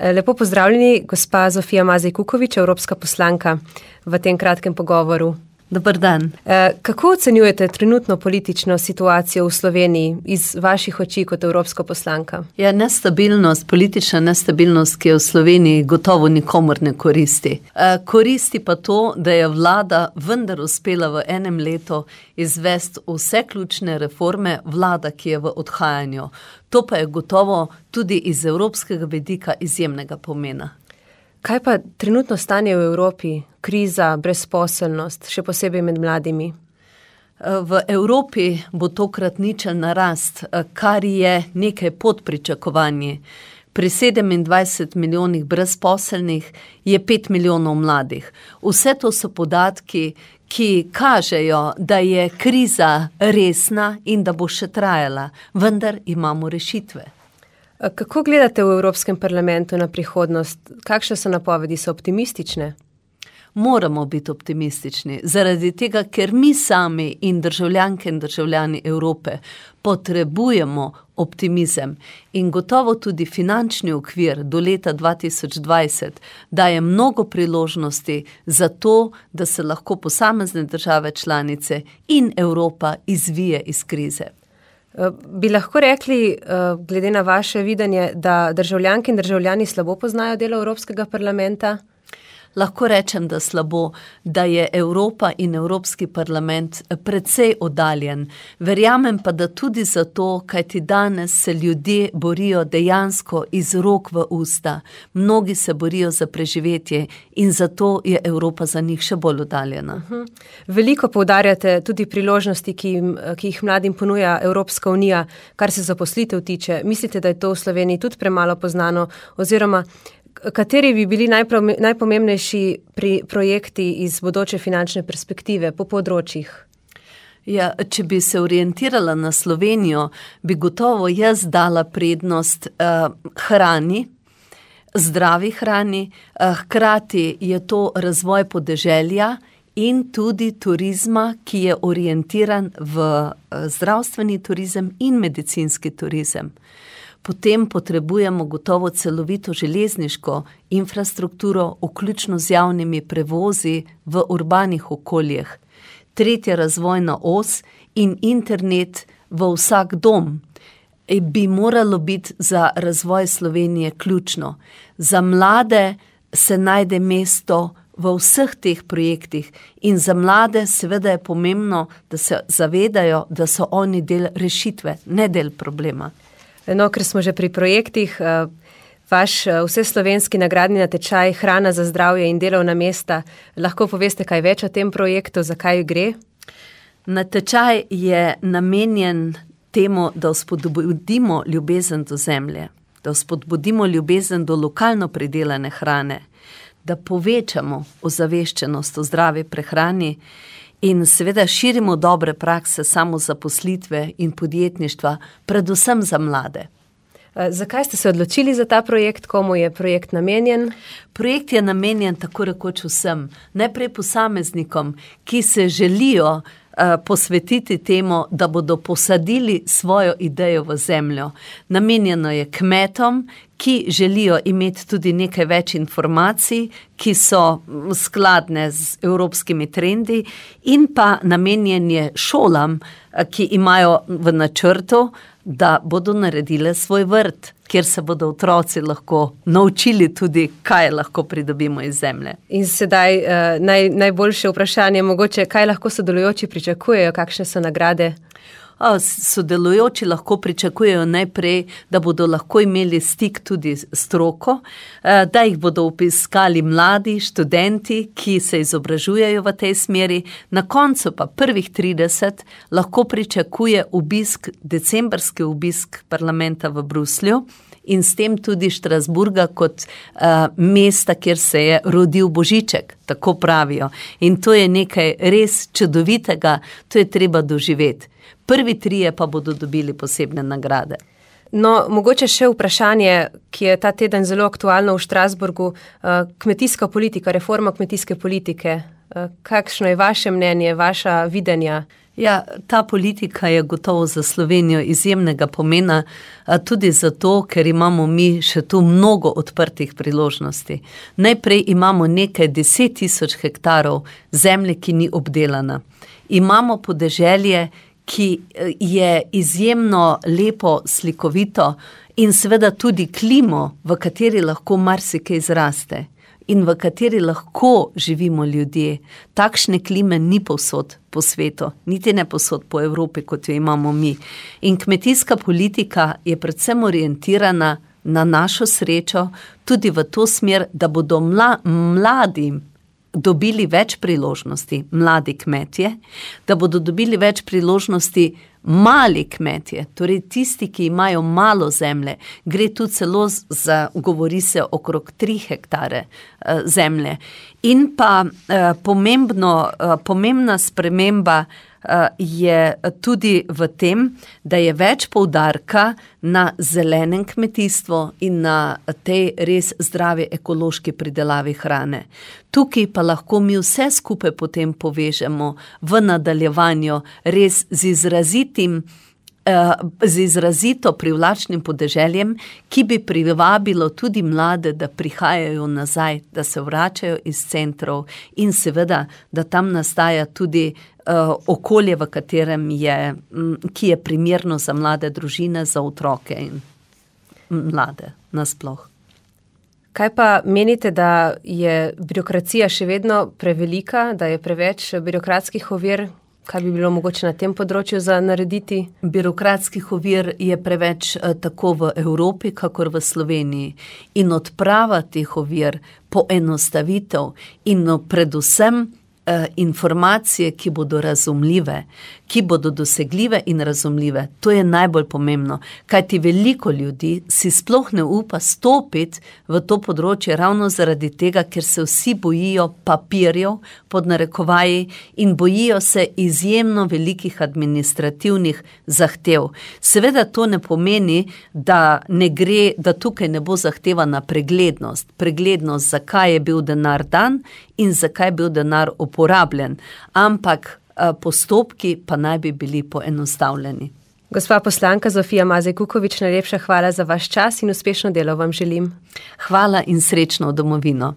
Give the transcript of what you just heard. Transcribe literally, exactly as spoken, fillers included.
Lepo pozdravljeni, gospa Zofija Mazej Kukovič, evropska poslanka v tem kratkem pogovoru. Dobar dan. Kako ocenjujete trenutno politično situacijo v Sloveniji iz vaših oči kot evropska poslanka? Ja, nestabilnost, politična nestabilnost, ki je v Sloveniji, gotovo nikomur ne koristi. Koristi pa to, da je vlada vendar uspela v enem letu izvesti vse ključne reforme, vlada, ki je v odhajanju. To pa je gotovo tudi iz evropskega vidika izjemnega pomena. Kaj pa trenutno stanje v Evropi? Kriza, brezposelnost, še posebej med mladimi? V Evropi bo tokrat ničelna rast, kar je nekaj pod pričakovanji. Pri sedemindvajset milijonih brezposelnih je pet milijonov mladih. Vse to so podatki, ki kažejo, da je kriza resna in da bo še trajala, vendar imamo rešitve. Kako gledate v Evropskem parlamentu na prihodnost? Kakšne so napovedi? So optimistične? Moramo biti optimistični, zaradi tega, ker mi sami in državljanke in državljani Evrope potrebujemo optimizem in gotovo tudi finančni okvir do leta dva tisoč dvajset daje mnogo priložnosti za to, da se lahko posamezne države članice in Evropa izvije iz krize. Bi lahko rekli, glede na vaše videnje, da državljanke in državljani slabo poznajo delo Evropskega parlamenta? Lahko rečem, da slabo, da je Evropa in Evropski parlament precej oddaljen. Verjamem pa, da tudi zato, kajti danes se ljudje borijo dejansko iz rok v usta. Mnogi se borijo za preživetje in zato je Evropa za njih še bolj oddaljena. Uh-huh. Veliko poudarjate tudi priložnosti, ki, jim, ki jih mladim ponuja Evropska unija, kar se zaposlitev tiče. Mislite, da je to v Sloveniji tudi premalo poznano, oziroma kateri bi bili najpomembnejši pri projekti iz bodoče finančne perspektive po področjih? Ja, če bi se orientirala na Slovenijo, bi gotovo jaz dala prednost uh, hrani, zdravi hrani, uh, hkrati je to razvoj podeželja in tudi turizma, ki je orientiran v uh, zdravstveni turizem in medicinski turizem. Potem potrebujemo gotovo celovito železniško infrastrukturo, vključno z javnimi prevozi v urbanih okoljih. Tretja razvojna os in internet v vsak dom bi moralo biti za razvoj Slovenije ključno. Za mlade se najde mesto v vseh teh projektih in za mlade seveda je pomembno, da se zavedajo, da so oni del rešitve, ne del problema. No, ker smo že pri projektih, vaš vseslovenski nagradni natečaj Hrana za zdravje in delovna mesta, lahko poveste kaj več o tem projektu, zakaj gre? Natečaj je namenjen temu, da spodbudimo ljubezen do zemlje, da spodbudimo ljubezen do lokalno pridelane hrane, da povečamo ozaveščenost o zdravi prehrani in seveda širimo dobre prakse samozaposlitve in podjetništva, predvsem za mlade. Zakaj ste se odločili za ta projekt? Komu je projekt namenjen? Projekt je namenjen tako rekoč vsem. Najprej posameznikom, ki se želijo uh, posvetiti temu, da bodo posadili svojo idejo v zemljo. Namenjeno je kmetom, ki želijo imeti tudi nekaj več informacij, ki so skladne z evropskimi trendi, in pa namenjen je šolam, ki imajo v načrtu, da bodo naredile svoj vrt, kjer se bodo otroci lahko naučili tudi, kaj lahko pridobimo iz zemlje. In sedaj uh, naj, najboljše vprašanje, mogoče, kaj lahko sodelujoči pričakujejo, kakšne so nagrade? Sodelujoči lahko pričakujejo najprej, da bodo lahko imeli stik tudi s stroko, da jih bodo obiskali mladi študenti, ki se izobražujejo v tej smeri. Na koncu pa prvih trideset lahko pričakuje obisk, decembrski obisk parlamenta v Bruslju in s tem tudi Štrasburga kot uh, mesta, kjer se je rodil Božiček, tako pravijo. In to je nekaj res čudovitega, to je treba doživeti. Prvi trije pa bodo dobili posebne nagrade. No, mogoče še vprašanje, ki je ta teden zelo aktualno v Štrasburgu, kmetijska politika, reforma kmetijske politike. Kakšno je vaše mnenje, vaša videnja? Ja, ta politika je gotovo za Slovenijo izjemnega pomena, tudi zato, ker imamo mi še tu mnogo odprtih priložnosti. Najprej imamo nekaj deset tisoč hektarov zemlje, ki ni obdelana. Imamo podeželje, ki je izjemno lepo, slikovito in seveda tudi klimo, v kateri lahko marsikaj zraste in v kateri lahko živimo ljudje. Takšne klime ni povsod po svetu, niti ne povsod po Evropi, kot jo imamo mi. In kmetijska politika je predvsem orientirana na našo srečo, tudi v to smer, da bodo mla, mladi dobili več priložnosti, mladi kmetje, da bodo dobili več priložnosti mali kmetje, torej tisti, ki imajo malo zemlje. Gre tu celo za, govori se okrog tri hektare uh, zemlje. In pa uh, pomembno, uh, pomembna sprememba je tudi v tem, da je več poudarka na zelenem kmetijstvu in na tej res zdravi ekološki pridelavi hrane. Tukaj pa lahko mi vse skupaj potem povežemo v nadaljevanju res z izrazitim z izrazito privlačnim podeželjem, ki bi privabilo tudi mlade, da prihajajo nazaj, da se vračajo iz centrov in seveda, da tam nastaja tudi uh, okolje, v katerem je, ki je primerno za mlade družine, za otroke in mlade nasploh. Kaj pa menite, da je birokracija še vedno prevelika, da je preveč birokratskih ovir? Kaj bi bilo mogoče na tem področju za narediti? Birokratskih ovir je preveč tako v Evropi, kakor v Sloveniji. In odprava teh ovir, poenostavitev in predvsem eh, informacije, ki bodo razumljive, ki bodo dosegljive in razumljive. To je najbolj pomembno, kajti veliko ljudi si sploh ne upa stopiti v to področje ravno zaradi tega, ker se vsi bojijo papirjev pod narekovaji in bojijo se izjemno velikih administrativnih zahtev. Seveda to ne pomeni, da ne gre, da tukaj ne bo zahtevana preglednost. Preglednost, zakaj je bil denar dan in zakaj je bil denar uporabljen. Ampak postopki pa naj bi bili poenostavljeni. Gospa poslanka Zofija Mazej Kukovič, najlepša hvala za vaš čas in uspešno delo vam želim. Hvala in srečno v domovino.